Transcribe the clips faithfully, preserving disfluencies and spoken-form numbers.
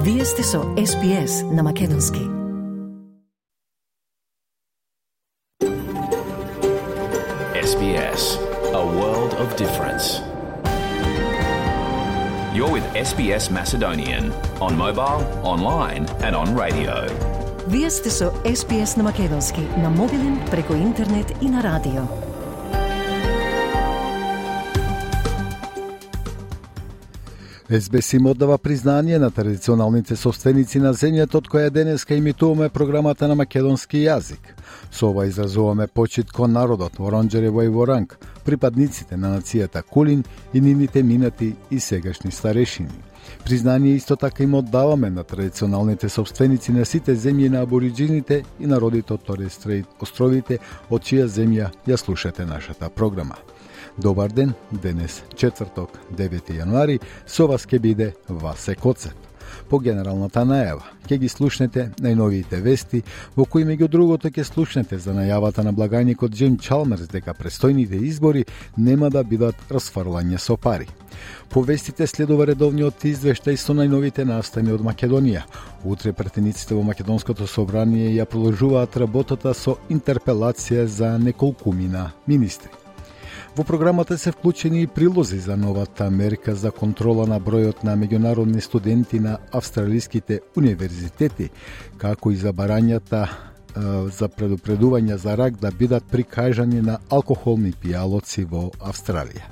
Вие сте со Ес Би Ес на Македонски. Ес Би Ес, a world of difference. You're with Ес Би Ес Macedonian on mobile, online and on radio. Вие сте со Ес Би Ес на Македонски, на мобилен, преку интернет и на радио. Ес Би Ес им оддава признание на традиционалните собственици на земјата од која денеска имитуваме програмата на македонски јазик. Со ова изразуваме почит кон народот во Оранџерево и во Ранг, припадниците на нацијата Кулин и нивните минати и сегашни старешини. Признание исто така им оддаваме на традиционалните собственици на сите земји на абориџините и народите од Торес Стрейт островите, од чија земја ја слушате нашата програма. Добар ден, денес четврток, девети јануари, со вас ке биде Васе Коцев. По генералната најава, ќе ги слушнете најновиите вести, во кои меѓу другото ќе слушнете за најавата на благајникот Џим Чалмерс дека престојните избори нема да бидат расфрлање со пари. По вестите следува редовниот извештај со најновите настани од Македонија. Утре претениците во Македонското собрание ја продолжуваат работата со интерпелација за неколкумина министри. Во програмата се вклучени и прилози за новата мерка за контрола на бројот на меѓународни студенти на австралиските универзитети, како и за барањата е, за предупредување за рак да бидат прикажани на алкохолни пијалоци во Австралија.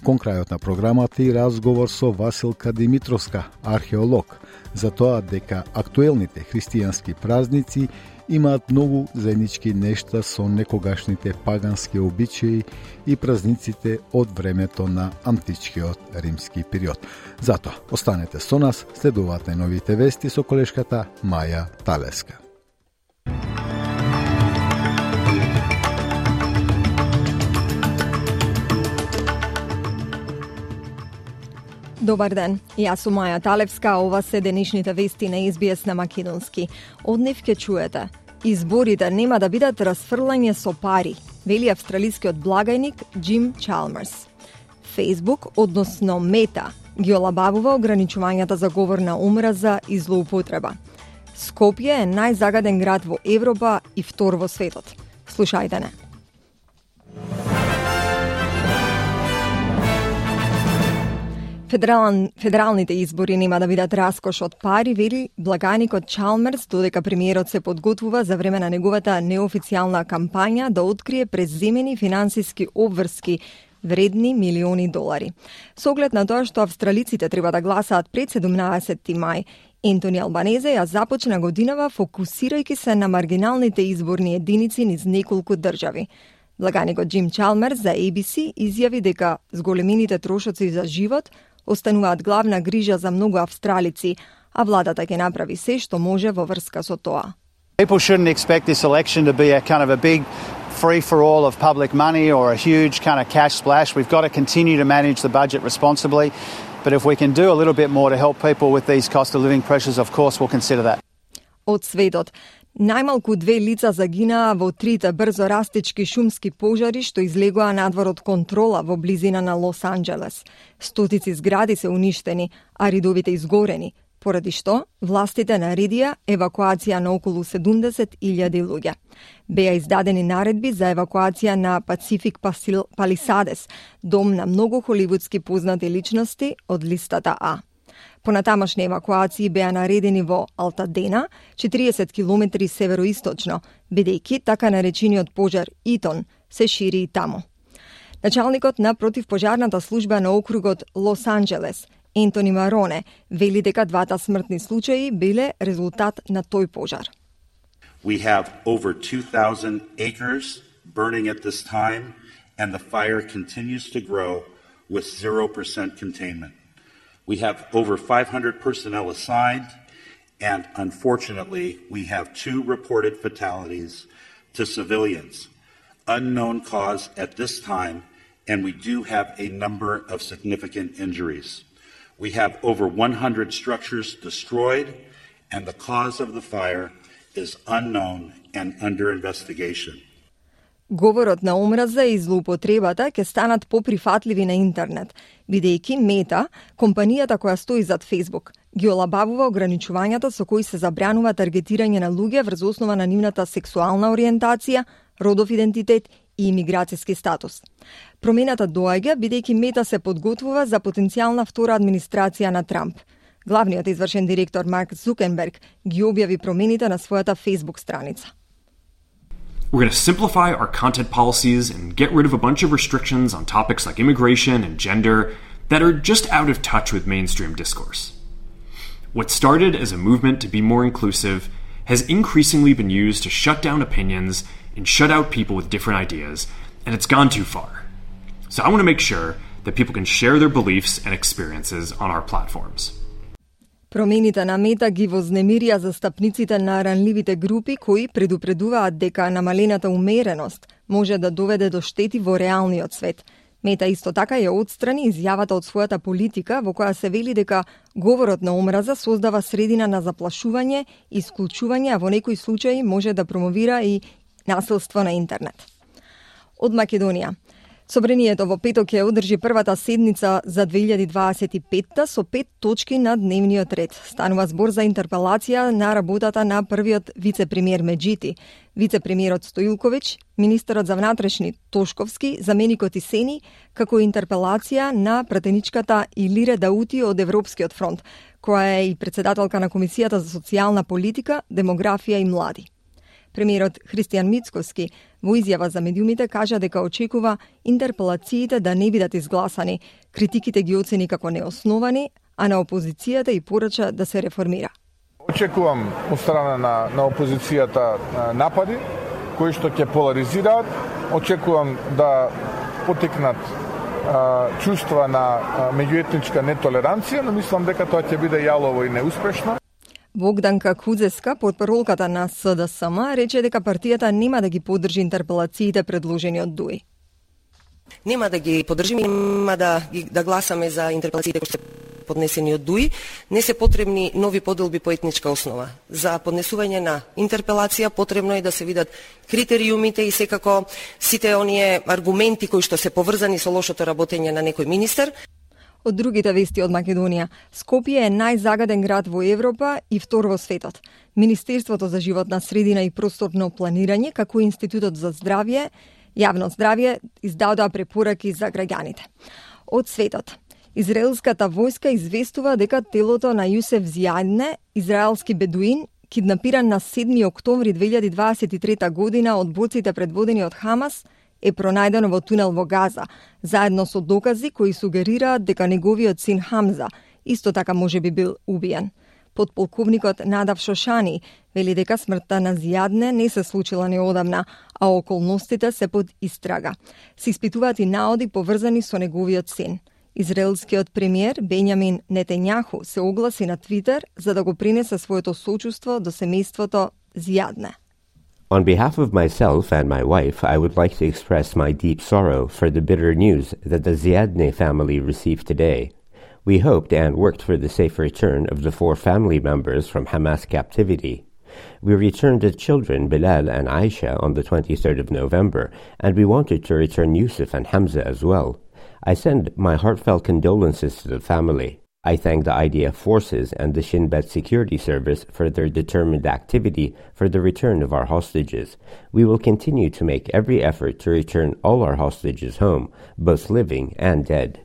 Кон крајот на програмата и разговор со Василка Димитровска, археолог, за тоа дека актуелните христијански празници имаат многу заеднички нешта со некогашните пагански обичаи и празниците од времето на античкиот римски период. Затоа, останете со нас, следуваат најновите вести со колешката Маја Талеска. Добар ден, јас сум Маја Талевска, ова се денешните вести на Ес Би Ес на Македонски. Од нив ќе чуете: изборите нема да бидат расфрлање со пари, вели австралискиот благајник Џим Чалмерс. Фејсбук, односно Мета, ги олабавува ограничувањата за говор на омраза и злоупотреба. Скопје е најзагаден град во Европа и втор во светот. Слушајте не. Федерал, федералните избори нема да бидат раскош од пари, вели благајникот Чалмерс, додека премиерот се подготвува за време на неговата неофицијална кампања да открие преземени финансиски обврски вредни милиони долари. Со оглед на тоа што австралиците треба да гласаат пред седумнаесетти мај, Ентони Албанезе ја започна годинава фокусирајќи се на маргиналните изборни единици низ неколку држави. Благајникот Џим Чалмерс за Ей Би Си изјави дека зголемените трошоци за живот остануваат главна грижа за многу австралици, а владата ќе направи се што може во врска со тоа. People shouldn't expect this election to be a kind of a big free-for-all of public money or a huge kind of cash splash. We've got to continue to manage the budget responsibly, but if we can do a little bit more to help people with these cost of living pressures, of course we'll consider that. Од светот, најмалку две лица загинаа во трите брзо растечки шумски пожари што излегоа надвор од контрола во близина на Лос Анџелес. Стотици згради се уништени, а ридовите изгорени, поради што властите наредија евакуација на околу седумдесет илјади луѓе. Беа издадени наредби за евакуација на Пацифик Палисадес, дом на многу холивудски познати личности од листата А. Понатамашни евакуации беа наредени во Алтадена, четириесет километри североисточно, бидејќи така наречениот пожар Итон се шири и таму. Началникот на противпожарната служба на округот Лос Анџелес, Ентони Мароне, вели дека двата смртни случаи биле резултат на тој пожар. We have over two thousand acres burning at this time, and the fire continues to grow with zero percent containment. We have over five hundred personnel assigned, and unfortunately, we have two reported fatalities to civilians. Unknown cause at this time, and we do have a number of significant injuries. We have over one hundred structures destroyed, and the cause of the fire is unknown and under investigation. Говорот на омраза и злоупотребата ќе станат поприфатливи на интернет, бидејќи Мета, компанијата која стои зад Facebook, ги олабавува ограничувањата со кои се забранува таргетирање на луѓе врз основа на нивната сексуална ориентација, родов идентитет и имиграцијски статус. Промената доаѓа бидејќи Мета се подготвува за потенцијална втора администрација на Трамп. Главниот извршен директор Марк Зукерберг ги објави промените на својата Facebook страница. We're going to simplify our content policies and get rid of a bunch of restrictions on topics like immigration and gender that are just out of touch with mainstream discourse. What started as a movement to be more inclusive has increasingly been used to shut down opinions and shut out people with different ideas, and it's gone too far. So I want to make sure that people can share their beliefs and experiences on our platforms. Промените на Мета ги вознемирија застапниците на ранливите групи кои предупредуваат дека намалената умереност може да доведе до штети во реалниот свет. Мета исто така ја отстрани изјавата од својата политика во која се вели дека говорот на омраза создава средина на заплашување, исклучување, а во некои случаи може да промовира и насилство на интернет. Од Македонија. Собранието во петок ќе одржи првата седница за две илјади дваесет и петта со пет точки на дневниот ред. Станува збор за интерпелација на работата на првиот вице-премиер Меджити, вице-премиерот Стоилковиќ, министерот за внатрешни Тошковски, заменикот Исени, како интерпелација на пратеничката Илире Даути од Европскиот фронт, која е и председателка на Комисијата за социјална политика, демографија и млади. Премиерот Христијан Мицковски во изјава за медиумите кажа дека очекува интерпелациите да не бидат изгласани, критиките ги оцени како неосновани, а на опозицијата и порача да се реформира. Очекувам од страна на, на опозицијата напади, кои што ќе поларизираат. Очекувам да потекнат а, чувства на а, меѓуетничка нетолеранција, но мислам дека тоа ќе биде јалово и неуспешно. Богданка Кудзеска, потпаролката на С Д С М, рече дека партијата нема да ги поддржи интерпелациите предложени од Дуи. Нема да ги поддржиме, нема да, да гласаме за интерпелациите кои се поднесени од Дуи. Не се потребни нови поделби по етничка основа. За поднесување на интерпелација потребно е да се видат критериумите и секако сите оние аргументи кои што се поврзани со лошото работење на некој министер. Од другите вести од Македонија, Скопје е најзагаден град во Европа и втор во светот. Министерството за животна средина и просторно планирање, како и Институтот за здравје, јавно здравје, издадоа препораки за граѓаните. Од светот, израелската војска известува дека телото на Јусеф Зијадне, израелски бедуин, киднапиран на седми октомври две илјади дваесет и трета година од борците предводени од Хамас, е пронајдено во тунел во Газа, заедно со докази кои сугерираат дека неговиот син Хамза исто така може би бил убиен. Подполковникот Надав Шошани вели дека смртта на Зијадне не се случила неодамна, а околностите се под истрага. Се испитуваат и наоди поврзани со неговиот син. Израелскиот премиер Бенјамин Нетењаху се огласи на Твитер за да го принесе своето сочувство до семејството Зијадне. On behalf of myself and my wife, I would like to express my deep sorrow for the bitter news that the Ziadne family received today. We hoped and worked for the safe return of the four family members from Hamas captivity. We returned the children Bilal and Aisha on the twenty-third of November, and we wanted to return Yusuf and Hamza as well. I send my heartfelt condolences to the family. I thank the I D F forces and the Shin Bet Security Service for their determined activity for the return of our hostages. We will continue to make every effort to return all our hostages home, both living and dead.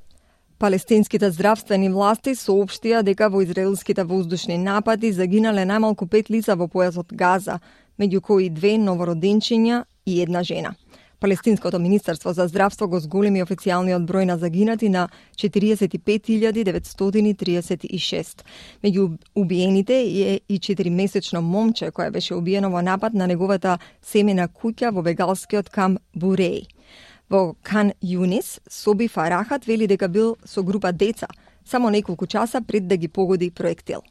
Палестинските здравствени власти соопштија дека во израелските воздушни напади загинале најмалку пет лица во појасот Газа, меѓу кои две новороденчиња и една жена. Палестинското министерство за здравство го зголеми официјалниот број на загинати на четириесет и пет илјади деветстотини триесет и шест. Меѓу убиените е и четиримесечно момче кое беше убиено во напад на неговата семена куќа во бегалскиот камп Буреј. Во Кан Юнис, Соби Фарахат вели дека бил со група деца, само неколку часа пред да ги погоди проектил.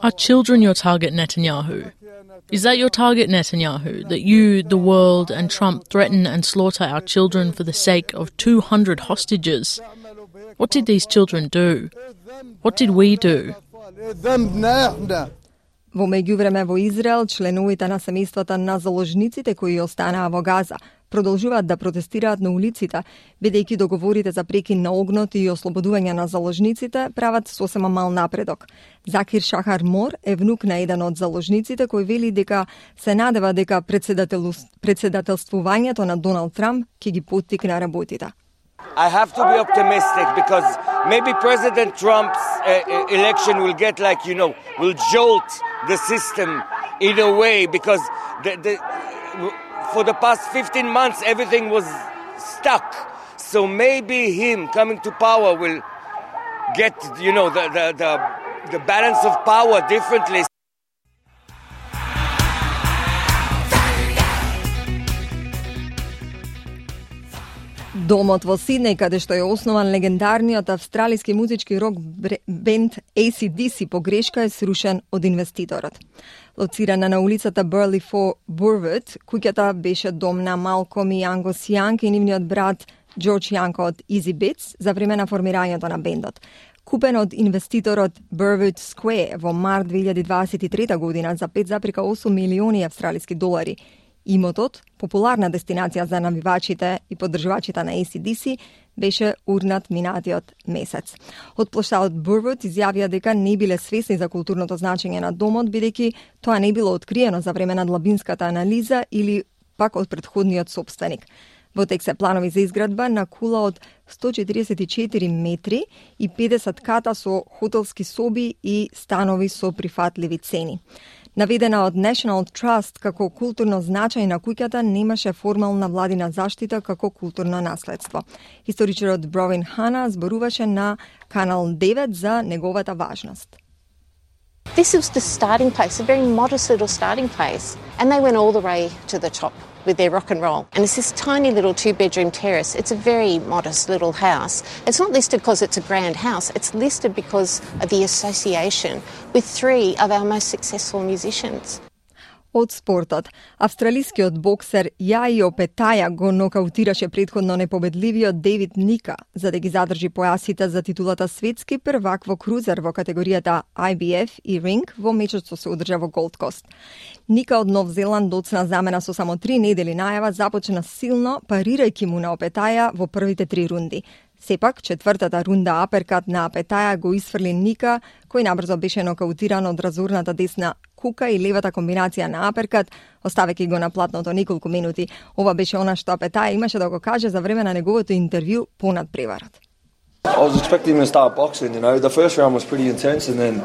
Are children your target, Netanyahu? Is that your target, Netanyahu, that you, the world, and Trump threaten and slaughter our children for the sake of two hundred hostages? What did these children do? What did we do? Во меѓувреме во Израел, членовите на семејствата на заложниците кои останаа во Газа продолжуваат да протестираат на улиците, бидејќи договорите за прекин на огнот и ослободување на заложниците прават сосема мал напредок. Закир Шахар Мор е внук на еден од заложниците кој вели дека се надева дека председателствувањето на Доналд Трамп ќе ги поттикне работите. I have to be optimistic because maybe President Trump's uh, election will get like, you know, will jolt the system in a way because the, the, for the past fifteen months everything was stuck. So maybe him coming to power will get, you know, the, the, the, the balance of power differently. Домот во Сиднеј, каде што е основан легендарниот австралиски музички рок бенд A C D C по грешка е срушен од инвеститорот. Лоцирана на улицата Burleigh Four Burwood, куќата беше дом на Малком и Ангус Јанг и нивниот брат Џорџ Јанг од Easy Bits за време на формирањето на бендот. Купен од инвеститорот Burwood Square во март две илјади дваесет и трета година за пет зарез и осум милиони австралиски долари. Имотот, популарна дестинација за навивачите и поддржувачите на A C D C, беше урнат минатиот месец. Од плоштадот Бурвуд изјавија дека не биле свесни за културното значење на домот, бидејќи тоа не било откриено за време на длабинската анализа или пак од претходниот сопственик. Во тек се планови за изградба на кула од сто четиридесет и четири метри и педесет ката со хотелски соби и станови со прифатливи цени. Наведена од National Trust како културно значај на куќата, немаше формална владина заштита како културно наследство. Историчарот Бровин Хана зборуваше на Канал девет за неговата важност. This was the starting place, a very modest little starting place, and they went all the way to the top with their rock and roll. And it's this tiny little two-bedroom terrace. It's a very modest little house. It's not listed because it's a grand house. It's listed because of the association with three of our most successful musicians. Од спортот, австралискиот боксер Јајо Петаја го нокаутираше претходно непобедливиот Дейвид Ника за да ги задржи појасите за титулата светски првак во крузер во категоријата I B F и ринг во мечот што се одржа во Голд Кост. Ника од Нов Зеланд доцна замена со само три недели најава започна силно, парирајќи му на Опетаја во првите три рунди. Сепак, четвртата рунда аперкат на Апетаја го исфрли Ника, кој набрзо беше нокаутиран од разорната десна кука и левата комбинација на аперкат, оставејќи го на платното неколку минути. Ова беше она што Апетаја имаше да го каже за време на неговото интервју понад преварот. I was expecting him to start boxing, you know. The first round was pretty intense and then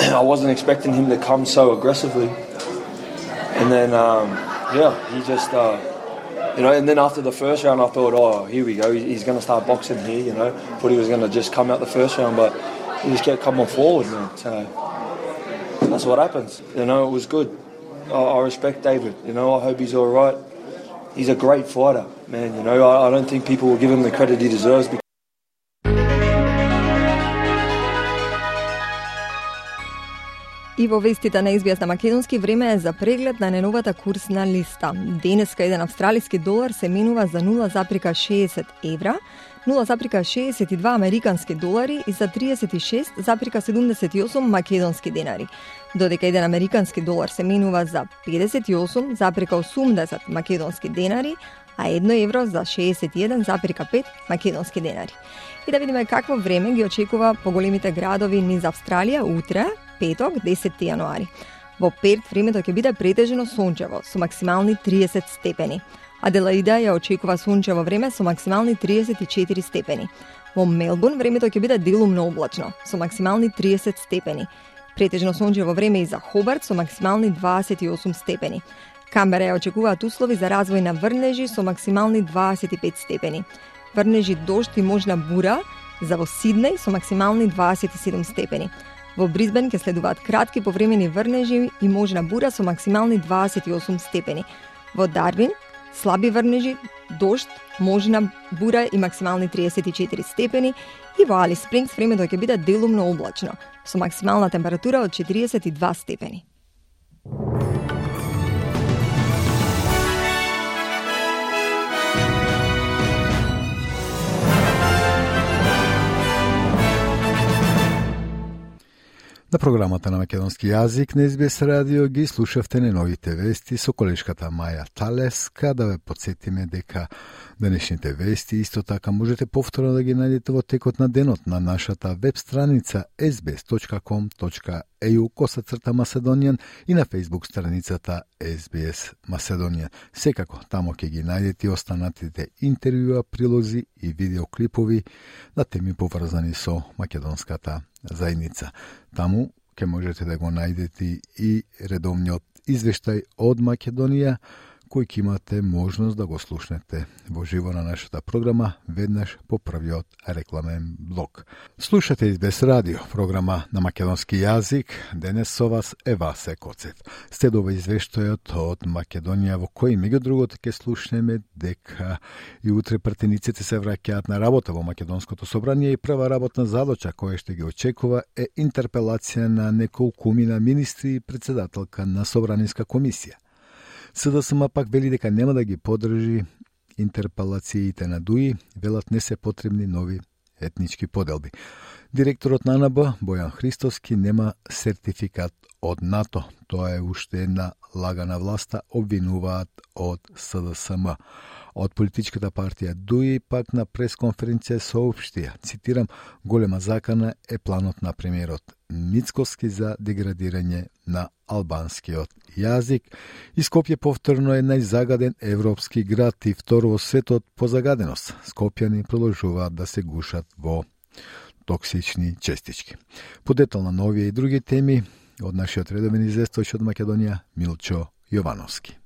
I wasn't expecting him to come so aggressively. And then, um, yeah, he just... Uh, You know, and then after the first round, I thought, oh, here we go. He's going to start boxing here, you know. Thought he was going to just come out the first round, but he just kept coming forward, man. So that's what happens. You know, it was good. I, I respect David. You know, I hope he's all right. He's a great fighter, man. You know, I, I don't think people will give him the credit he deserves. И во вестите на Ес Би Ес на македонски, време е за преглед на неновата курсна листа. Денеска еден австралиски долар се менува за нула зарез шеесет евра, нула зарез шеесет и два американски долари и за триесет и шест зарез седумдесет и осум македонски денари. Додека еден американски долар се менува за педесет и осум зарез осумдесет македонски денари, а едно евро за шеесет и еден зарез пет македонски денари. И да видиме какво време ги очекува поголемите градови низ Австралија утре, петок, десети јануари. Во Перт времето ќе биде претежно сончево со максимални триесет степени. Аделаида ја очекува сончево време со максимални триесет и четири степени. Во Мелбурн времето ќе биде делумно облачно со максимални триесет степени. Претежно сончево време и за Хобарт со максимални дваесет и осум степени. Камбера ја очекуваат услови за развој на врнежи со максимални дваесет и пет степени. Врнежи, дожд и можна бура за во Сиднеј со максимални дваесет и седум степени. Во Брисбен ќе следуваат кратки повремени врнежи и можна бура со максимални дваесет и осум степени. Во Дарвин слаби врнежи, дожд, можна бура и максимални триесет и четири степени. И во Алис Спрингс времето ќе биде делумно облачно со максимална температура од четириесет и два степени. На програмата на македонски јазик на Ес Би Ес радио ги слушавте неновите вести со колешката Маја Талеска. Да ве подсетиме дека денешните вести исто така можете повторно да ги најдете во текот на денот на нашата веб страница ес би ес точка ком точка е ю косацрта Macedonian и на Facebook страницата Ес Би Ес Macedonian. Секако, тамо ќе ги најдете и останатите интервјуа, прилози и видеоклипови на теми поврзани со македонската заедница. Таму ќе можете да го најдете и редовниот извештај од Македонија, кој ќе имате можност да го слушнете во живо на нашата програма веднаш по првиот рекламен блок. Слушате Ес Би Ес радио, програма на македонски јазик. Денес со вас е Васе Коцев. Следува извештајот од Македонија, во кој меѓу другото ќе слушнеме дека и утре партениците се враќаат на работа во Македонското собрание и прва работна задача која ще ги очекува е интерпелација на неколкумина министри и председателка на Собраниска комисија. СДСМ пак вели дека нема да ги подржи интерпелациите на ДУИ, велат не се потребни нови етнички поделби. Директорот на АНБ, Бојан Христовски, нема сертификат од НАТО. Тоа е уште една лага на власта, обвинуваат од СДСМ. Од политичката партија ДУИ пак на пресконференција соопштија, цитирам, голема закана е планот на премиерот Мицкоски за деградирање на албанскиот јазик. И Скопје повторно е најзагаден европски град и втор во светот по загаденост. Скопјани продолжуваат да се гушат во токсични честички. Подетално на овие и други теми од нашиот редовен известувач од Македонија Милчо Јовановски.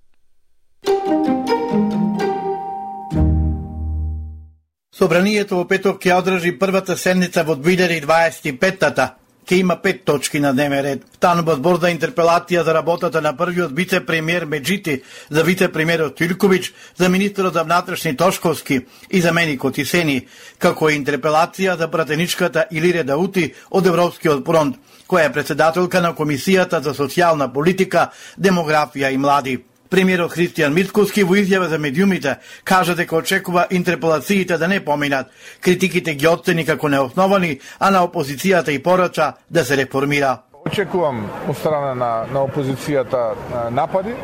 Собранието во петок ќе одржи првата седница во две илјади дваесет и пета. Ке има пет точки на дневен ред. Станува збор за интерпелација за работата на првиот вице-премиер Меджити, за вице-премиерот Тилковиќ, за министерот за внатрешни Тошковски и за Менико Тисени, како и интерпелација за пратеничката Илире Даути од Европскиот фронт, која е председателка на Комисијата за социјална политика, демографија и млади. Премиерот Христијан Мицкоски во изјава за медиумите кажа дека очекува интерпелациите да не поминат. Критиките ги оцени како неосновани, а на опозицијата и порача да се реформира. Очекувам од страна на, на опозицијата напади,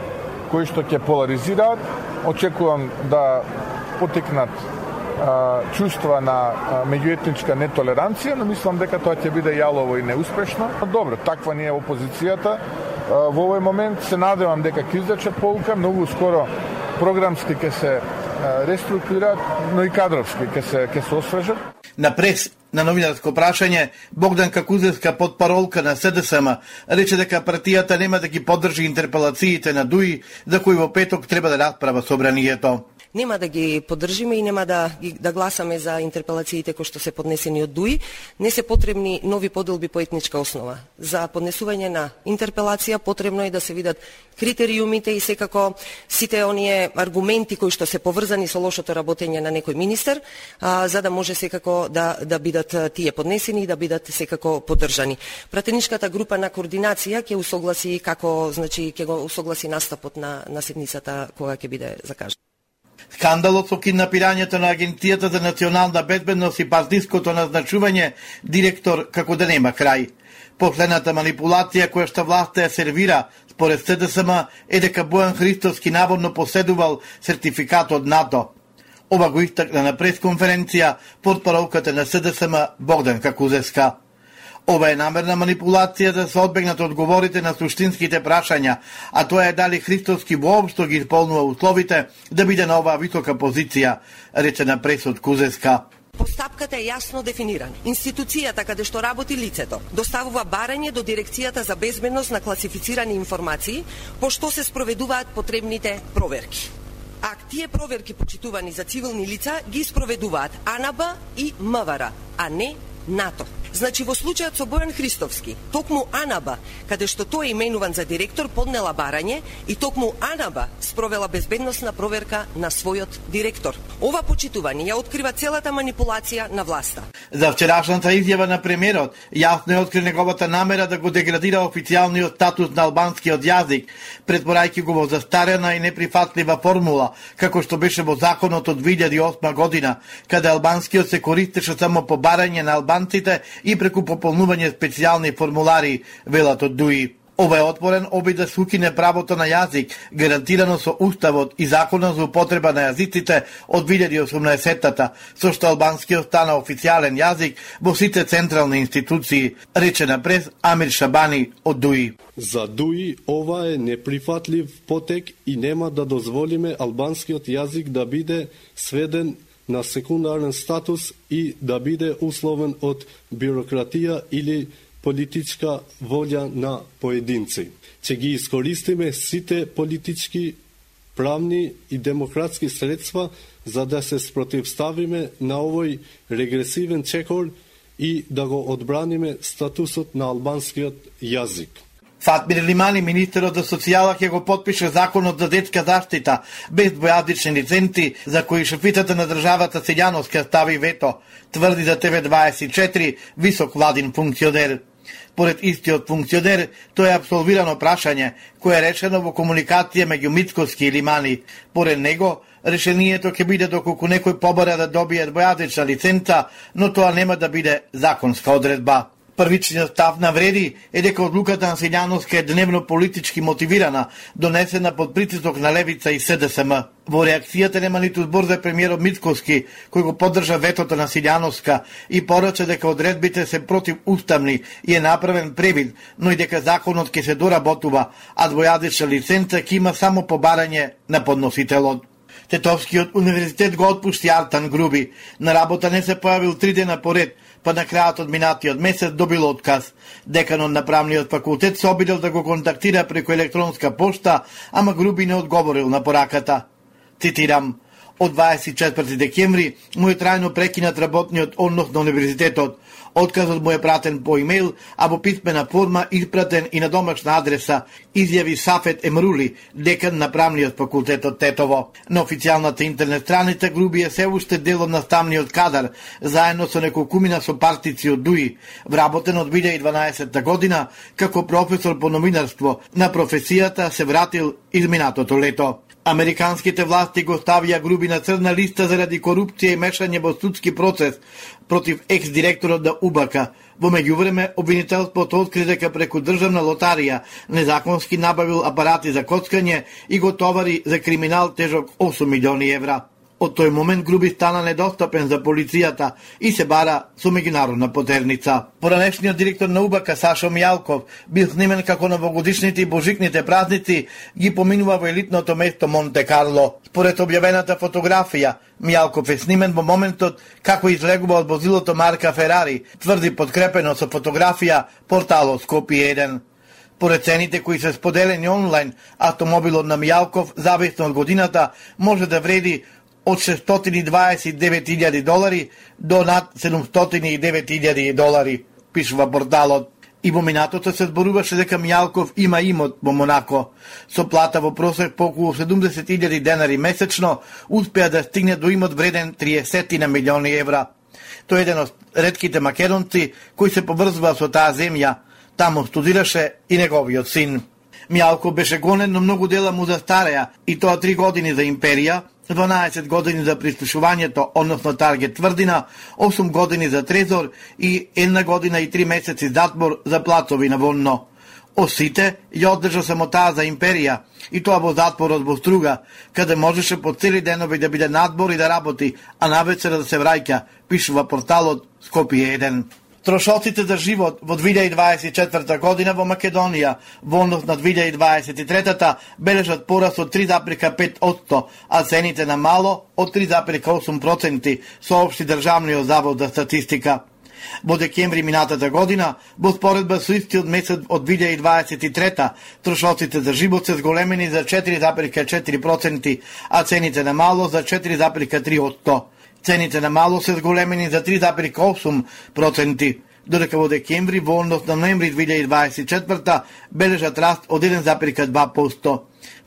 кои што ќе поларизираат. Очекувам да потекнат а, чувства на а, меѓуетничка нетолеранција, но мислам дека тоа ќе биде јалово и неуспешно. Добро, таква не е опозицијата. Во овој момент се надевам дека ќе извлечат поука, многу скоро програмски ќе се реструктурираат, но и кадровски ќе се ќе се освежат. На прес на новинарско прашање, Богданка Кузевска, подпаролка на СДСМ, рече дека партијата нема да ги поддржи интерпелациите на ДУИ, за кои во петок треба да расправа собранието. Нема да ги поддржиме и нема да, да гласаме за интерпелациите кои што се поднесени од ДУИ. Не се потребни нови поделби по етничка основа. За поднесување на интерпелација потребно е да се видат критериумите и секако сите оние аргументи кои што се поврзани со лошото работење на некој министер, а, за да може секако да, да бидат тие поднесени и да бидат секако поддржани. Пратеничката група на координација ќе усогласи како, значи ќе го усогласи настапот на, на седницата кога ќе биде закажана. Скандалот со киднапирањето на Агенцијата за национална безбедност и партиското назначување директор како да нема крај. Последната манипулација која што власта ја сервира според СДСМ е дека Бојан Христовски наводно поседувал сертификат од НАТО. Ова го истакна на пресконференција портпаролката на СДСМ Богданка Кузевска. Ова е намерна манипулација да се одбегнат одговорите на суштинските прашања, а тоа е дали Христовски воопшто ги исполнува условите да биде на оваа висока позиција, рече на пресот Кузевска. Постапката е јасно дефинирана. Институцијата каде што работи лицето доставува барање до Дирекцијата за безбедност на класифицирани информации, по што се спроведуваат потребните проверки. А тие проверки, почитувани за цивилни лица, ги спроведуваат АНБ и МВР, а не НАТО. Значи, во случајот со Бојан Христовски, токму АНБ, каде што тој е именуван за директор, поднела барање и токму АНБ спровела безбедносна проверка на својот директор. Ова почитување ја открива целата манипулација на власта. За вчерашната изјава на премиерот, јасно е откри неговата намера да го деградира официјалниот статус на албанскиот јазик, претпорајќи го во застарена и неприфатлива формула, како што беше во законот од две илјади и осма година, каде албанскиот се користеше само по барање на албанците и преку пополнување специјални формулари, велат од ДУИ. Ова е отворен обид да се укине правото на јазик, гарантирано со Уставот и Законот за употреба на јазиците од две илјади и осумнаесеттата, со што албанскиот стана официјален јазик во сите централни институции, рече на прес Амир Шабани од ДУИ. За ДУИ ова е неприфатлив потек и нема да дозволиме албанскиот јазик да биде сведен на секундарен статус и да биде условен од бирократија или политичка волја на поединци. Че ги искористиме сите политички, правни и демократски средства за да се спротивставиме на овој регресивен чекор и да го одбраниме статусот на албанскиот јазик. Фатмир Лимани, министерот за социјала, ќе го потпише законот за детска заштита без двојазични лиценци, за кои шефицата на државата Силјановска стави вето, тврди за Т В дваесет и четири висок владин функционер. Поред истиот функционер, тоа е апсолвирано прашање, кое е решено во комуникација меѓу Мицковски и Лимани. Поред него, решението ќе биде доколку некој побара да добие двојазична лиценца, но тоа нема да биде законска одредба. Првичниот став на Вреди е дека одлуката на Силјановска е дневно политички мотивирана, донесена под притисок на Левица и С Д С М. Во реакцијата нема ниту збор за премиерот Мицковски, кој го поддржа ветото на Силјановска и порача дека одредбите се противуставни и е направен превид, но и дека законот ќе се доработува, а двојазична лиценца ќе има само побарање на подносителот. Тетовскиот универзитет го отпушти Артан Груби. На работа не се појавил три дена поред, па на крајот од минатиот месец добил отказ. Деканот на правниот факултет се обидел да го контактира преку електронска пошта, ама Груби не одговорил на пораката. Цитирам: од дваесет и четврти декември му е трајно прекинат работниот однос на универзитетот. Отказот му е пратен по имејл, а во писмена форма испратен и на домашна адреса, изјави Сафет Емрули, декан на правниот факултет од Тетово. На официјалната интернет страница Груби е се уште дел од наставниот кадар, заедно со неколкумина сопартици од ДУИ, вработен од две илјади и дванаесетта година како професор по новинарство. На професијата се вратил изминатото лето. Американските власти го ставија Груби на црна листа заради корупција и мешање во судски процес против екс-директорот на У Б К. Во меѓувреме, обвинителството откри дека преку државна лотарија незаконски набавил апарати за коцкање и го товари за криминал тежок осум милиони евра. Од тој момент Груби стана недостапен за полицијата и се бара со меѓународна потерница. Поранешниот директор на У Б К Сашо Мијалков бил снимен како новогодишните и божикните празници ги поминува во елитното место Монте Карло. Според објавената фотографија, Мијалков е снимен во моментот како излегува од возилото марка Ферари, тврди подкрепено со фотографија порталот Скопје еден. Поред цените кои се споделени онлайн, автомобилот на Мијалков, зависно од годината, може да вреди од шестстотини и дваесет и девет илјади долари до над седумстотини и девет илјади долари, пишува порталот. И во минатото се зборуваше дека Мијалков има имот во Монако. Со плата во просек по околу седумдесет илјади денари месечно, успеа да стигне до имот вреден триесет на милиони евра. Тој е еден од ретките македонци кои се поврзува со таа земја. Таму студираше и неговиот син. Мијалков беше гонен, но многу дела му застареа, и тоа три години за империја, дванаесет години за прислушувањето, односно Таргет тврдина, осум години за Трезор и една година и три месеци затвор за плацови на Вонно. Осите ја одржа само таа за империја, и тоа во затворот во Струга, каде можеше по цели денови да биде надбор и да работи, а навечера да се враќа, пишува порталот Скопје еден. Трошоците за живот во две илјади и дваесет и четврта година во Македонија во однос на две илјади и дваесет и трета бележат пораст од три запир пет одсто, а цените на мало од три запир осум проценти, соопшти Државниот завод за статистика. Во декември минатата година, во споредба со истиот месец од две илјади и дваесет и трета, трошоците за живот се зголемени за четири запир четири проценти, а цените на мало за четири запир три одсто. Цените на мало се зголемени за три запир осум проценти, додека во декември во однос на ноември две илјади и дваесет и четврта бележат раст од еден запир два проценти.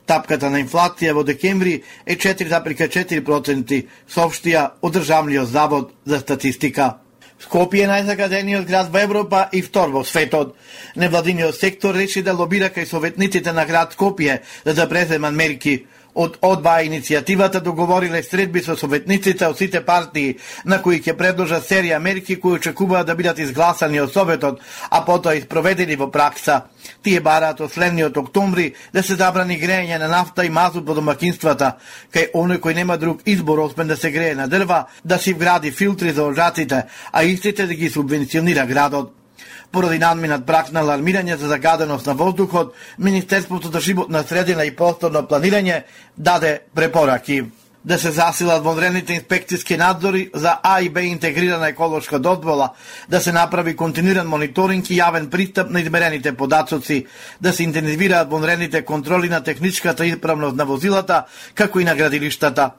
Тапката на инфлација во декември е четири запир четири проценти, соопштија од Државниот завод за статистика. Скопје е најзагадениот град во Европа и втор во светот. Невладиниот сектор реши да лобира кај советниците на град Скопје да да преземат мерки. Од одбаа иницијативата договориле средби со советниците од сите партии, на кои ќе предложат серија мерки кои очекуваат да бидат изгласани од Советот, а потоа испроведени во пракса. Тие бараат од следниот октомври да се забрани грејење на нафта и мазут во домакинствата, кај оној кој нема друг избор освен да се грее на дрва, да си вгради филтри за ожаците, а истите да ги субвенционира градот. Поради надминат прак на алармирање за загаденост на воздухот, Министерството за животна средина и просторно планирање даде препораки да се засилат вонредните инспекциски надзори за А и Б интегрирана еколошка дозвола, да се направи континуиран мониторинг и јавен пристап на измерените податоци, да се интензивираат вонредните контроли на техничката исправност на возилата, како и на градилиштата.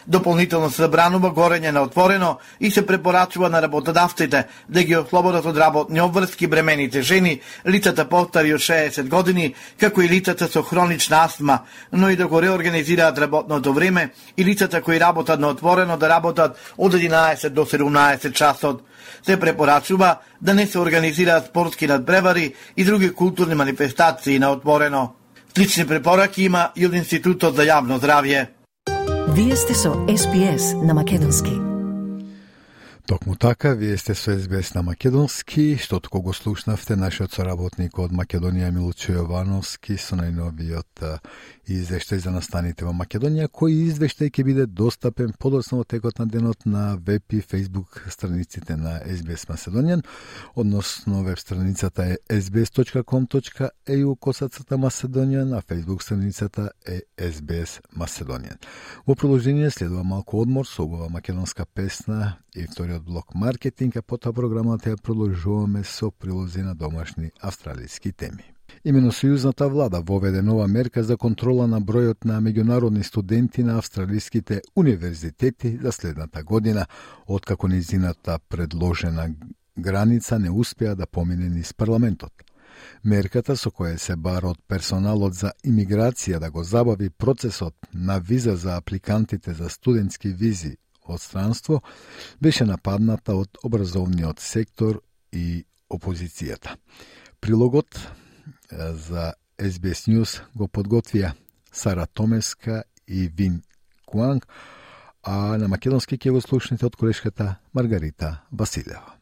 Дополнително се забранува горење на отворено и се препорачува на работодавците да ги ослободат од работни обврски бремените жени, лицата постари од шеесет години, како и лицата со хронична астма, но и да го реорганизираат работното време и лицата кои работат на отворено да работат од единаесет до седумнаесет часот. Се препорачува да не се организираат спортски надпревари и други културни манифестации на отворено. Слични препораки има и од Институтот за јавно здравје. Вие сте со Ес Би Ес на Македонски. Токму така, вие сте со Ес Би Ес на Македонски, што току го слушнавте нашиот соработник од Македонија Милчо Јовановски со најновиот извештај за настаните во Македонија, кој извештај ќе биде достапен подоцна во текот на денот на веб и фейсбук страниците на Ес Би Ес Macedonian, односно веб страницата е ес би ес точка ком точка е ю косацата Macedonian, а фейсбук страницата е Ес Би Ес Macedonian. Во продолжение следува малку одмор со убава македонска песна и вториот блок маркетинг, а потоа програмата ја продолжуваме со прилози на домашни австралиски теми. Имено Сојузната влада воведе нова мерка за контрола на бројот на меѓународни студенти на австралиските универзитети за следната година, откако низината предложена граница не успеа да помине низ парламентот. Мерката со која се бара од персоналот за имиграција да го забави процесот на виза за апликантите за студентски визи од странство беше нападната од образовниот сектор и опозицијата. Прилогот за Ес Би Ес News го подготвија Сара Томеска и Вин Куанг, а на македонски ќе го слушнете од колешката Маргарита Василева.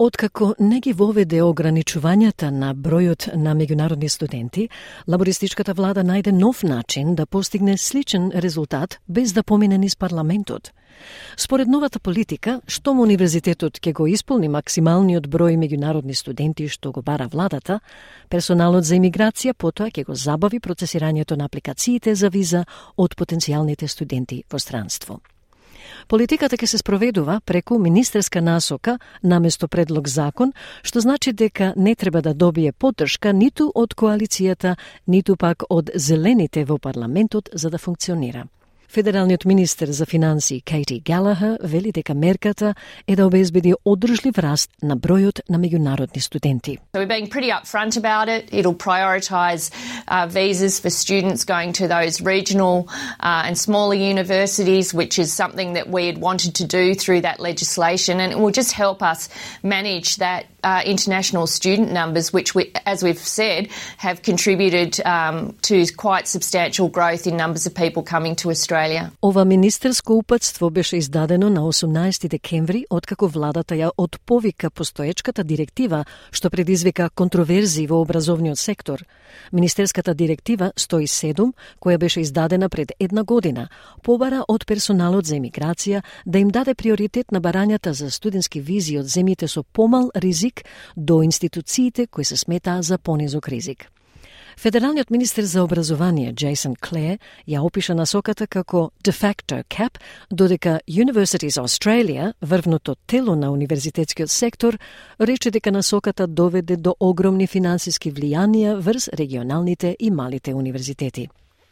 Откако не ги воведе ограничувањата на бројот на меѓународни студенти, лабористичката влада најде нов начин да постигне сличен резултат без да помине низ парламентот. Според новата политика, штом универзитетот ќе го исполни максималниот број меѓународни студенти што го бара владата, персоналот за имиграција потоа ќе го забави процесирањето на апликациите за виза од потенцијалните студенти во странство. Политиката ќе се спроведува преку министерска насока наместо предлог закон, што значи дека не треба да добие поддршка ниту од коалицијата, ниту пак од зелените во парламентот за да функционира. Федералниот министер за финансии Кейти Галахер вели дека мерката е да обезбеди одржлив раст на бројот на меѓународни студенти. So we're being pretty upfront about it. It'll prioritise uh, visas for students going to those regional uh, and smaller universities, which is something that we had wanted to do through that legislation, and it will just help us manage that uh, international student numbers, which, we, as we've said, have contributed um, to quite substantial growth in numbers of people coming to Australia. Ова министерско упатство беше издадено на осумнаесети декември, откако владата ја отповика постоечката директива што предизвика контроверзии во образовниот сектор. Министерската директива сто и седум, која беше издадена пред една година, побара од персоналот за имиграција да им даде приоритет на барањата за студентски визи од земјите со помал ризик до институциите кои се сметаа за понизок ризик. Федералниот министер за образование Джейсон Клер ја опиша насоката како de facto cap, додека Universities Australia, врвното тело на универзитетскиот сектор, рече дека насоката доведе до огромни финансиски влијанија врз регионалните и малите универзитети.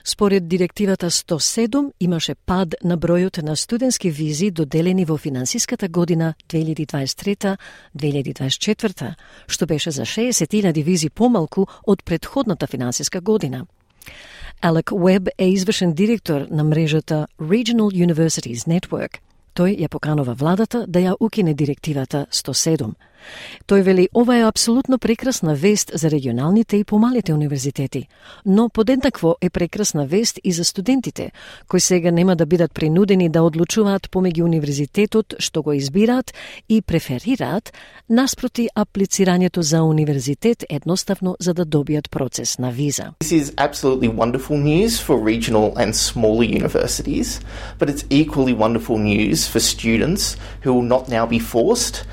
Според директивата сто и седум имаше пад на бројот на студентски визи доделени во финансиската година две илјади дваесет и трета - две илјади дваесет и четврта, што беше за шеесет илјади визи помалку од претходната финансиска година. Алек Уеб е извршен директор на мрежата Regional Universities Network. Тој ја поканува владата да ја укине директивата сто и седум. Тој вели ова е апсолутно прекрасна вест за регионалните и помалите универзитети, но подеднакво е прекрасна вест и за студентите, кои сега нема да бидат принудени да одлучуваат помеѓу универзитетот што го избираат и преферираат, наспроти аплицирањето за универзитет едноставно за да добијат процес на виза. This is absolutely wonderful news for regional and smaller universities, but it's equally wonderful news for students who will not now be forced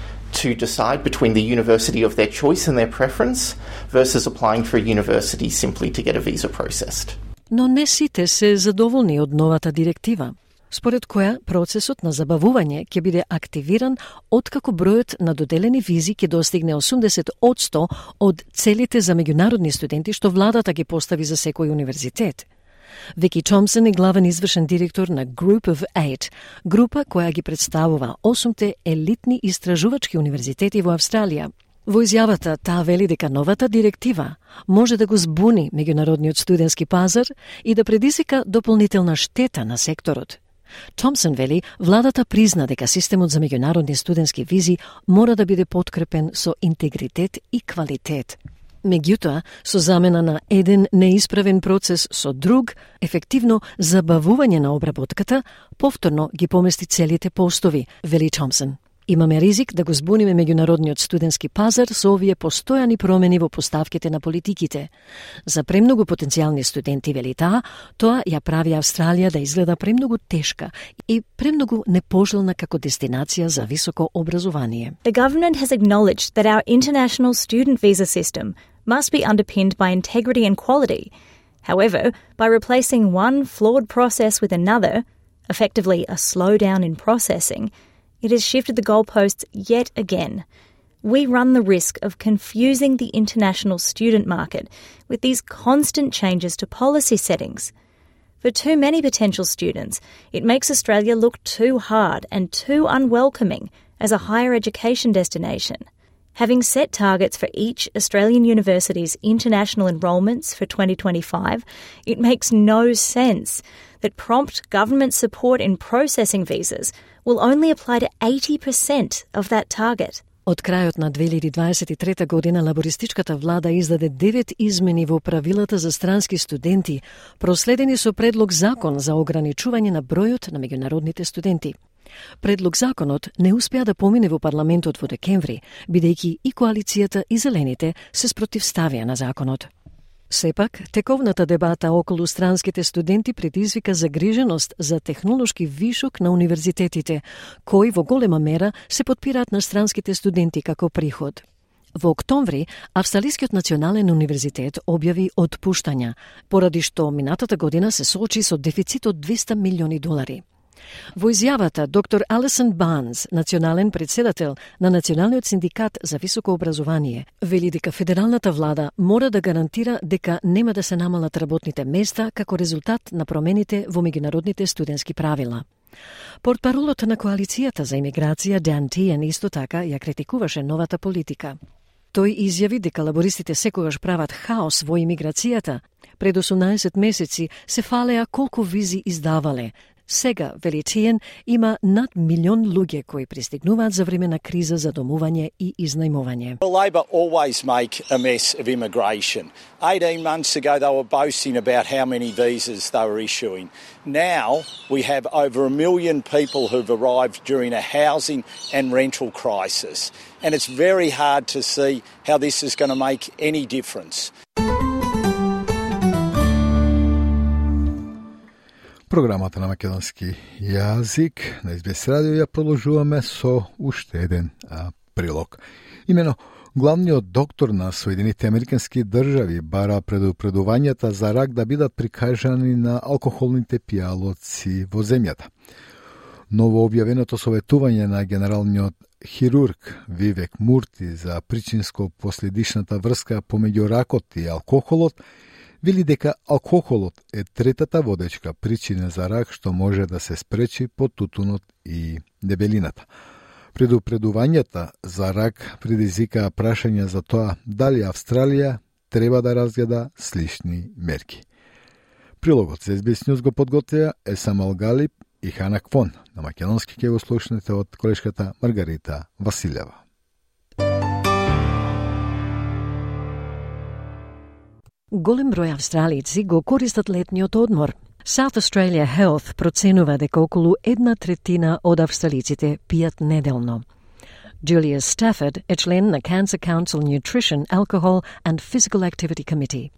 to decide between the university of their choice and their preference versus applying for a university simply to get a visa processed. Но не сите се задоволни од новата директива, според која процесот на забавување ќе биде активиран откако бројот на доделени визи ќе достигне осумдесет одсто од целите за меѓународни студенти што владата ги постави за секој универзитет. Вики Томсон е главен извршен директор на Group of Eight, група која ги представува осумте елитни истражувачки универзитети во Австралија. Во изјавата таа вели дека новата директива може да го збуни меѓународниот студентски пазар и да предизвика дополнителна штета на секторот. Томсон вели владата призна дека системот за меѓународни студентски визи мора да биде подкрепен со интегритет и квалитет. Меѓутоа, со замена на еден неисправен процес со друг, ефективно забавување на обработката, повторно ги помести целите постови, вели Томсон. Имаме ризик да го збуниме меѓународниот студентски пазар со овие постојани промени во поставките на политиките. За премногу потенцијални студенти, вели таа, тоа ја прави Австралија да изгледа премногу тешка и премногу непожелна како дестинација за високо образование. The government has acknowledged that our international student visa system must be underpinned by integrity and quality. However, by replacing one flawed process with another, effectively a slowdown in processing, it has shifted the goalposts yet again. We run the risk of confusing the international student market with these constant changes to policy settings. For too many potential students, it makes Australia look too hard and too unwelcoming as a higher education destination. Having set targets for each Australian university's international enrolments for twenty twenty-five, it makes no sense that prompt government support in processing visas will only apply to eighty percent of that target. Од крајот на две илјади дваесет и трета година лабористичката влада издаде девет измени во правилата за странски студенти, проследени со предлог закон за ограничување на бројот на меѓународните студенти. Предлог законот не успеа да помине во парламентот во декември, бидејќи и коалицијата и зелените се спротивставија на законот. Сепак, тековната дебата околу странските студенти предизвика загриженост за технолошки вишок на универзитетите, кои во голема мера се подпираат на странските студенти како приход. Во октомври, Австралискиот национален универзитет објави отпуштања, поради што минатата година се соочи со дефицит од двесте милиони долари. Во изјавата, доктор Алисон Барнс, национален председател на Националниот синдикат за високо образование, вели дека федералната влада мора да гарантира дека нема да се намалат работните места како резултат на промените во меѓународните студентски правила. Портпаролот на коалицијата за имиграција Дан Тиен исто така ја критикуваше новата политика. Тој изјави дека лабористите секогаш прават хаос во имиграцијата. Пред осумнаесет месеци се фалеа колку визи издавале. Сега, вели Тиен, има над милион луѓе кои пристигнуваат за време на криза за домување и изнајмување. Well, Labor always make a mess of immigration. eighteen months ago they were boasting about how many visas they were issuing. Now we have over a million people who've arrived during a housing and rental crisis. And it's very hard to see how this is going to make any difference. Програмата на македонски јазик на Ес Би Ес радио ја продолжуваме со уште еден а, прилог. Имено, главниот доктор на Соединетите Американски држави бара предупредувањата за рак да бидат прикажани на алкохолните пијалоци во земјата. Ново објавеното советување на генералниот хирург Вивек Мурти за причинско-последичната врска помеѓу ракот и алкохолот вели дека алкохолот е третата водечка причина за рак што може да се спречи под тутунот и дебелината. Предупредувањата за рак предизвикаа прашања за тоа дали Австралија треба да разгледа слични мерки. Прилогот за Ес Би Ес News го подготвија Есам Алгалип и Хана Квон. На македонски ќе го слушнете од колешката Маргарита Василева. Голем број австралици го користат летниот одмор. South Australia Health проценува дека околу една третина од австралиците пијат неделно. Julia Stafford е член на Cancer Council Nutrition, Alcohol and Physical Activity Committee.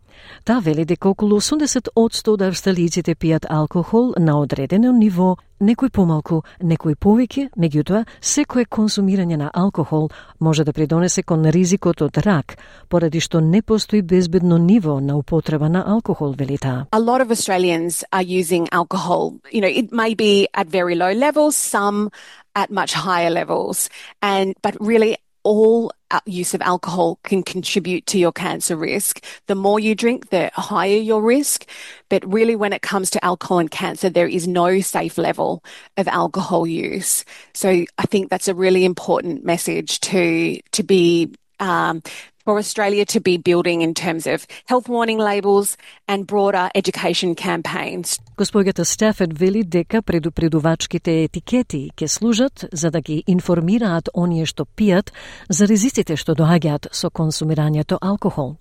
Таа вели дека околу осумдесет одсто од австралиците пијат алкохол на одредено ниво, некој помалку, некој повеќе, меѓутоа, секое консумирање на алкохол може да придонесе кон ризикот од рак, поради што не постои безбедно ниво на употреба на алкохол, вели таа. A lot of Australians are using alcohol. You know, it may be at very low levels, some at much higher levels, and but really all use of alcohol can contribute to your cancer risk. The more you drink, the higher your risk. But really, when it comes to alcohol and cancer, there is no safe level of alcohol use. So I think that's a really important message to to be um, for Australia to be building in terms of health warning labels and broader education campaigns. Госпоѓата Стафорд вели дека предупредувачките етикети ќе служат за да ги информираат оние што пијат за ризиците што доаѓаат со консумирањето алкохол.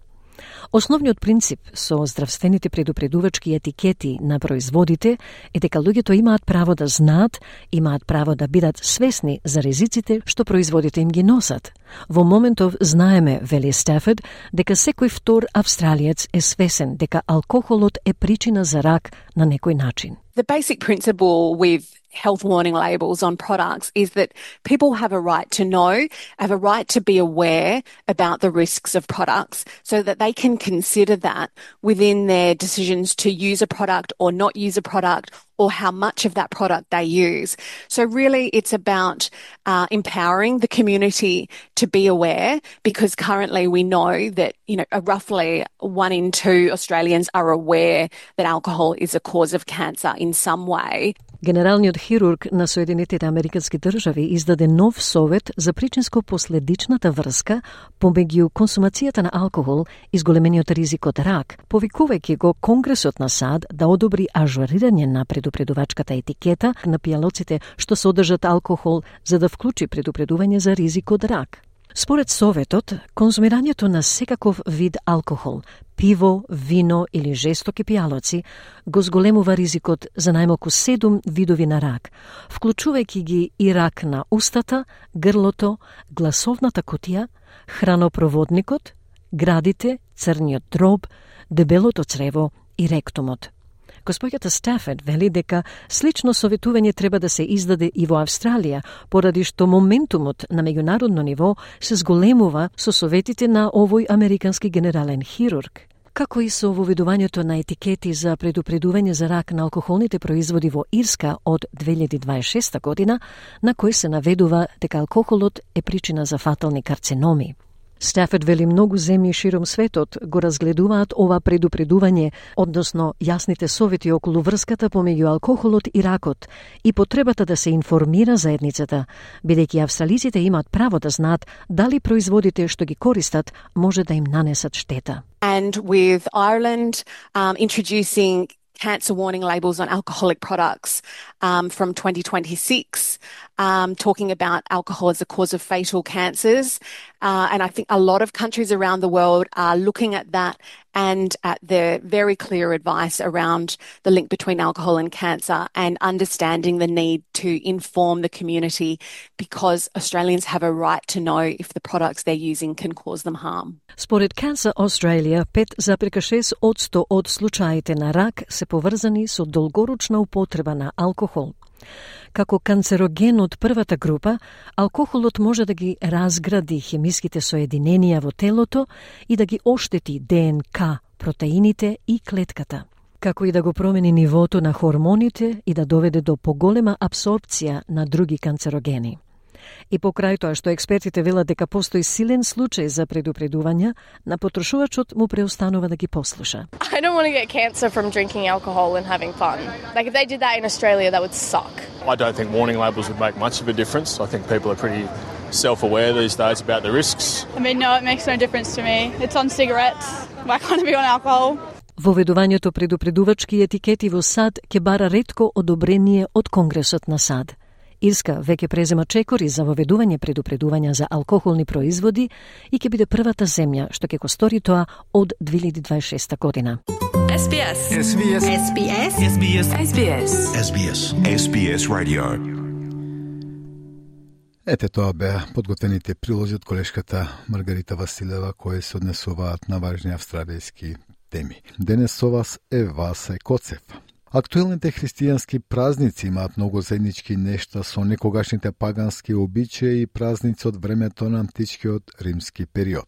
Основниот принцип со здравствените предупредувачки етикети на производите е дека луѓето имаат право да знаат, имаат право да бидат свесни за ризиците што производите им ги носат. Во моментов знаеме, вели Стафорд, дека секој втор австралиец е свесен дека алкохолот е причина за рак на некој начин. The basic principle with health warning labels on products is that people have a right to know, have a right to be aware about the risks of products so that they can consider that within their decisions to use a product or not use a product or how much of that product they use. So really it's about uh, empowering the community to be aware, because currently we know that, you know, roughly one in two Australians are aware that alcohol is a cause of cancer in some way. Генералниот хирург на Соединетите Американски држави издаде нов совет за причинско-последичната врска помеѓу консумацијата на алкохол и зголемениот ризик од рак, повикувајќи го Конгресот на САД да одобри ажурирање на предупредувачката етикета на пијалоците што содржат алкохол за да вклучи предупредување за ризик од рак. Според Советот, конзумирањето на секаков вид алкохол, пиво, вино или жестоки пијалоци, го зголемува ризикот за најмалку седум видови на рак, вклучувајќи ги и рак на устата, грлото, гласовната кутија, хранопроводникот, градите, црниот дроб, дебелото црево и ректумот. Госпоѓата Стафорд вели дека слично советување треба да се издаде и во Австралија, поради што моментумот на меѓународно ниво се зголемува со советите на овој американски генерален хирург. Како и со воведувањето на етикети за предупредување за рак на алкохолните производи во Ирска од две илјади дваесет и шеста година, на кој се наведува дека алкохолот е причина за фатални карциноми. Стафорд вели многу земји широм светот го разгледуваат ова предупредување, односно јасните совети околу врската помеѓу алкохолот и ракот и потребата да се информира заедницата, бидејќи австралиците имаат право да знаат дали производите што ги користат може да им нанесат штета. And with Ireland um, introducing cancer warning labels on alcoholic products um, from twenty twenty-six, um, talking about alcohol as a cause of fatal cancers. Uh, and I think a lot of countries around the world are looking at that and at the very clear advice around the link between alcohol and cancer and understanding the need to inform the community, because Australians have a right to know if the products they're using can cause them harm. Според Cancer Australia, пет запирка шест одсто од случаите на рак се поврзани со долгорочна употреба на алкохол. Како канцероген од првата група, алкохолот може да ги разгради хемиските соединенија во телото и да ги оштети ДНК, протеините и клетката, како и да го промени нивото на хормоните и да доведе до поголема абсорбција на други канцерогени. И покрај тоа што експертите велат дека постои силен случај за предупредување, на потрошувачот му преостанува да ги послуша. I don't want to get cancer from drinking alcohol and having fun. Like if they did that in Australia, that would suck. I don't think warning labels would make much of a difference. I think people are pretty self-aware these days about the risks. I mean, no, it makes no difference to me. It's on cigarettes. Why can't it be on alcohol? Воведувањето предупредувачки етикети во САД ќе бара ретко одобрение од Конгресот на САД. Ирска веќе презема чекори за воведување предупредувања за алкохолни производи и ќе биде првата земја што ќе го стори тоа од две илјади дваесет и шеста година. Ес Би Ес. Ес Би Ес. Ес Би Ес. Ес Би Ес. Ес Би Ес. Ес Би Ес. Ес Би Ес Radio. Ете тоа беа подготвените прилози од колешката Маргарита Василева кои се однесуваат на важни австралијски теми. Денес со вас е Васе Коцев. Актуелните христијански празници имаат многу заеднички нешта со некогашните пагански обичаи и празници од времето на античкиот римски период.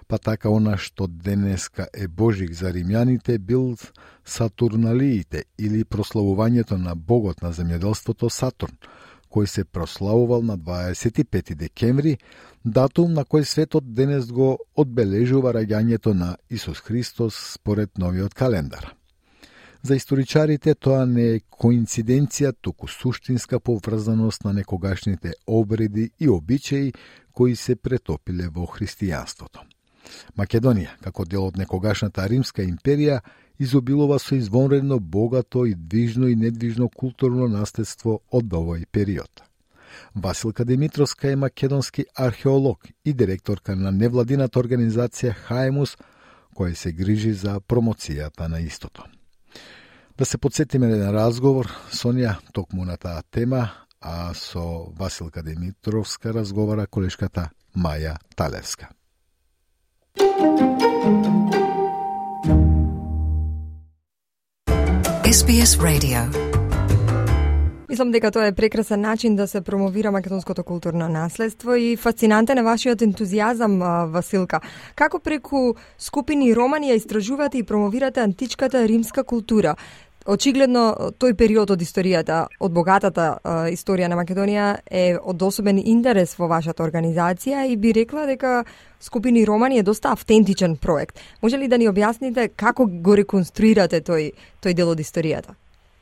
Па така она што денеска е Божик за римјаните бил Сатурналиите или прославувањето на богот на земјоделството Сатурн, кој се прославувал на дваесет и пети декември, датум на кој светот денес го одбележува раѓањето на Исус Христос според новиот календар. За историчарите тоа не е коинциденција, туку суштинска поврзаност на некогашните обреди и обичаи кои се претопиле во христијанството. Македонија, како дел од некогашната Римска империја, изобилува со извонредно богато и движно и недвижно културно наследство од овој период. Василка Димитровска е македонски археолог и директорка на невладината организација Хаемус, која се грижи за промоцијата на истото. Да се подсетиме на разговор со неа токму на таа тема, а со Василка Димитровска разговара колешката Маја Талевска. Ес Би Ес Radio. Мислам дека тоа е прекрасен начин да се промовира македонското културно наследство и фасцинантен е вашиот ентузијазам, Василка. Како преку скупини романи ја истражувате и промовирате античката римска култура? Очигледно, тој период од историјата, од богатата а, историја на Македонија е од особен интерес во вашата организација и би рекла дека Скупини романи е доста автентичен проект. Може ли да ни објасните како го реконструирате тој, тој дел од историјата?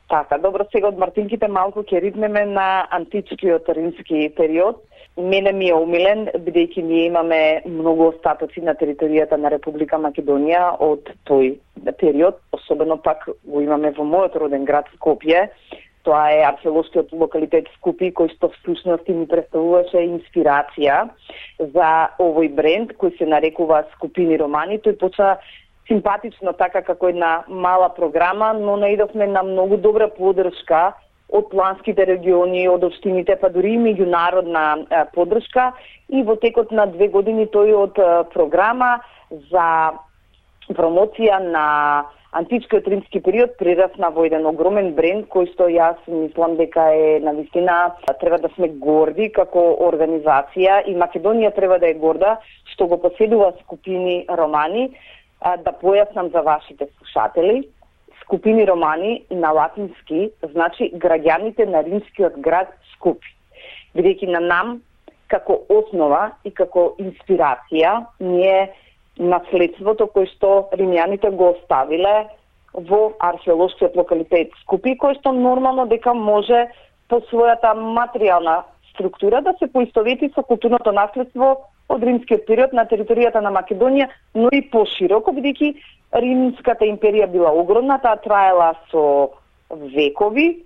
Така, добро, сега од мартинките малку ќе ритнеме на античкиот римски период. Мене ми е умилен, бидејќи ние имаме многу остатоци на територијата на Република Македонија од тој период, особено пак го имаме во мојот роден град Скопје. Тоа е археолошкиот локалитет Скупи, кој што всушност ни представуваше инспирација за овој бренд кој се нарекува Скупини романи. Тој почна симпатично така како една мала програма, но наидовме на многу добра поддршка од планските региони, од општините, па дури и меѓународна поддршка. И во текот на две години тој од програма за промоција на античкиот римски период прерасна во еден огромен бренд кој што јас мислам дека е навистина треба да сме горди како организација и Македонија треба да е горда што го поседува Скупини романи. Да појаснам за вашите слушатели, Скупини романи на латински значи граѓаните на римскиот град Скупи. Бидејќи на нам како основа и како инспирација ние наследството кој што римјаните го оставиле во археолошкиот локалитет Скупи, кој што нормално дека може по својата материјална структура да се поистовети со културното наследство од римскиот период на територијата на Македонија, но и пошироко, бидејќи Римската империја била огромна, таа траела со векови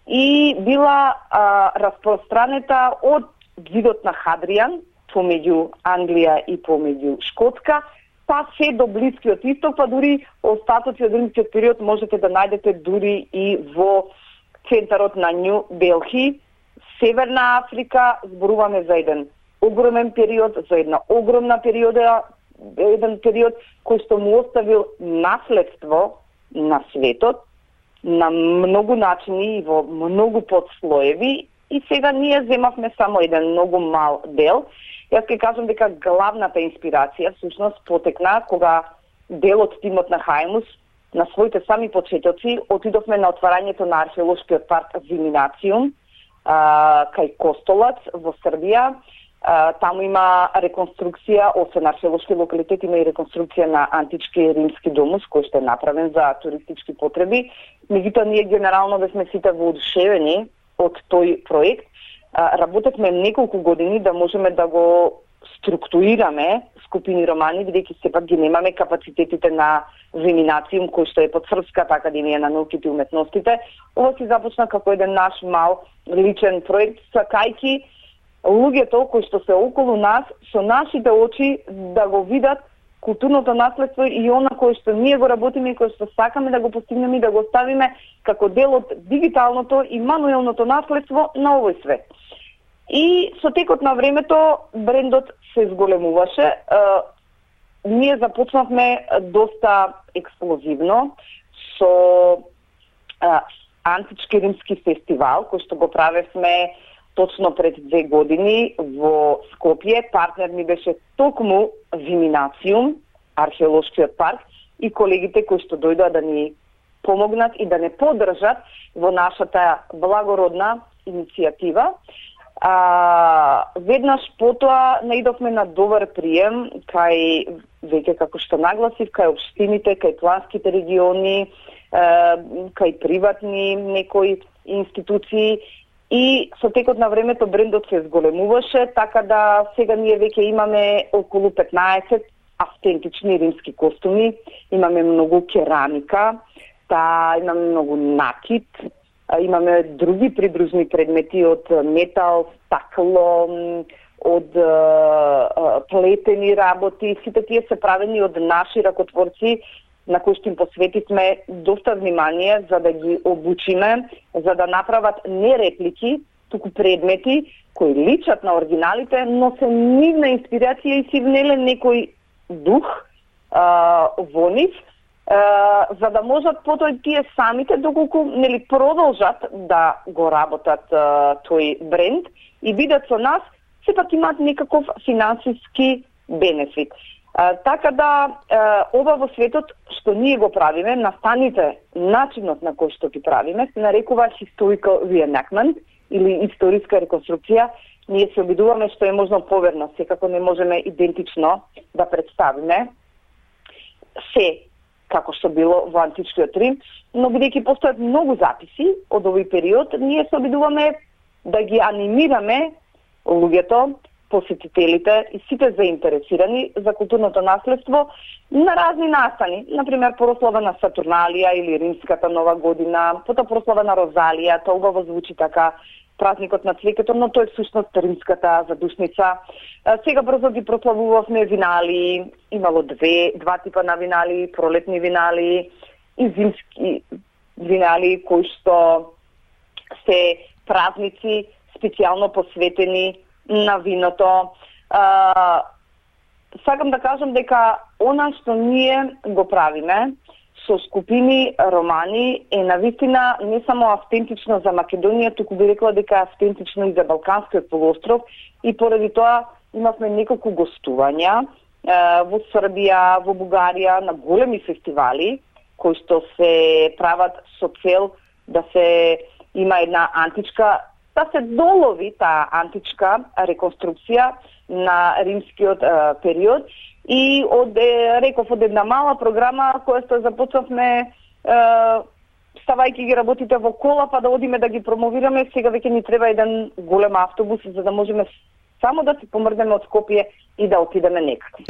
и била а, распространета од видот на Хадријан помеѓу Англија и помеѓу Шкотска, па се до Блискиот исток, па дури остатоци од римскиот период можете да најдете дури и во центарот на Нью Делхи, Северна Африка. Зборуваме за еден огромен период, за една огромна периода, еден период кој што му оставил наследство на светот на многу начини и во многу подслоеви и сега ние земавме само еден многу мал дел. Јас ќе кажам дека главната инспирација всушност потекна кога дел од тимот на Хаемус на своите сами почетоци отидовме на отварањето на археолошкиот парк Виминациум кај Костолац во Србија. Uh, таму има реконструкција, освен археолошки локалитет, има и реконструкција на антички римски домус, кој што е направен за туристички потреби. Меѓутоа, ние генерално бевме сите воодушевени од тој проект. Uh, работевме неколку години да можеме да го структурираме скупини романи, бидејќи сепак ги немаме капацитетите на Виминациум, кој што е под Српската академија на науките и уметностите. Ова си започна како еден наш мал личен проект, сакајки луѓето кои што се околу нас со нашите очи да го видат културното наследство и она кое што ние го работиме и кое што сакаме да го постигнеме и да го ставиме како дел од дигиталното и мануелното наследство на овој свет. И со текот на времето брендот се зголемуваше. Ние започнавме доста експлозивно со а, антички римски фестивал, кој што го правевме точно пред две години во Скопје. Партнер ми беше токму Виминациум, археолошкиот парк, и колегите кои што дојдоа да ни помогнат и да не поддржат во нашата благородна иницијатива. А, веднаш потоа наидовме на добар прием кај, веќе како што нагласив, кај општините, кај планските региони, кај приватни некои институции, и со текот на времето брендот се зголемуваше, така да сега ние веќе имаме околу петнаесет автентични римски костуми, имаме многу керамика, та имаме многу накит, имаме други придружни предмети од метал, стакло, од плетени работи. Сите тие се правени од наши ракотворци, на кои што им посветивме доста внимание за да ги обучиме, за да направат не реплики, туку предмети кои личат на оригиналите, но се нивна инспирација и си внеле некој дух а, во нив, а, за да можат потоа тие самите, доколку нели продолжат да го работат а, тој бренд и бидат со нас, сепак имаат некаков финансиски бенефит. А, така да, а, ова во светот што ние го правиме, настаните, начинот на кој што ги правиме, се нарекува historical reenactment или историска реконструкција. Ние се обидуваме што е можно поверно, секако не можеме идентично да представиме се како што било во античкиот Рим, но бидејќи постојат многу записи од овој период, ние се обидуваме да ги анимираме луѓето, посетителите и сите заинтересирани за културното наследство на разни настани. Например, прослава на Сатурналија или Римската нова година, потоа прослава на Розалија, тоа убаво звучи така, празникот на цвеќето, но тоа е всушност римската задушница. Сега брзо ги прославувавме винали, имало две, два типа на винали, пролетни винали и зимски винали, кои што се празници специјално посветени на виното. А, сакам да кажам дека она што ние го правиме со скупини романи е навистина не само автентично за Македонија, туку би рекла дека е автентично и за Балканскиот полуостров, и поради тоа имавме неколку гостувања а, во Србија, во Бугарија, на големи фестивали кои што се прават со цел да се има една античка, да се долови таа античка реконструкција на римскиот а, период. И од, реков, од една мала програма која што започнавме ставајќи ги работите во кола, па да одиме да ги промовираме, сега веќе ни треба еден голем автобус за да можеме само да се помрднеме од Скопје и да отидеме некаде.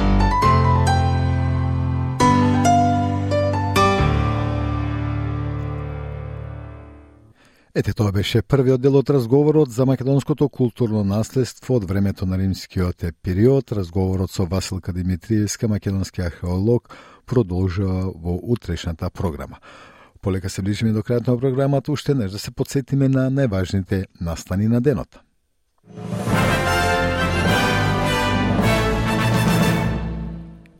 Ете, тоа беше првиот дел од разговорот за македонското културно наследство од времето на римскиот период. Разговорот со Василка Димитриевска, македонски археолог, продолжува во утрешната програма. Полека се ближиме до крајот на програмата, уште неш да се подсетиме на најважните настани на денот.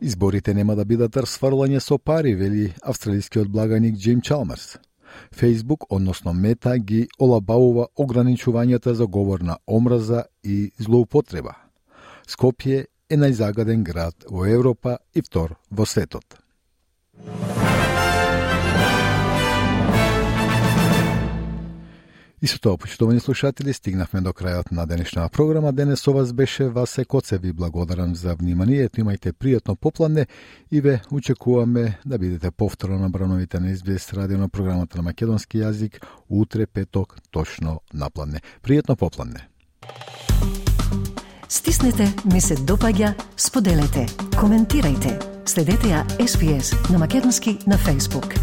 Изборите нема да бидат расфрлање со пари, вели австралискиот благаник Джим Чалмерс. Facebook, односно Мета, ги олабавува ограничувањата за говор на омраза и злоупотреба. Скопје е најзагаден град во Европа и втор во светот. И со тоа, почитувани слушатели, стигнавме до крајот на денешната програма. Денес со вас беше Васе Коце. Ви благодарам за вниманието. Имајте пријатно попладне и ве очекуваме да бидете повторно на брановите на Ес Би Ес радио на програмата на македонски јазик утре петок точно на пладне. Пријатно попладне. Стиснете ми се допаѓа, споделете, коментирајте. Следете ја Ес Би Ес на македонски на Facebook.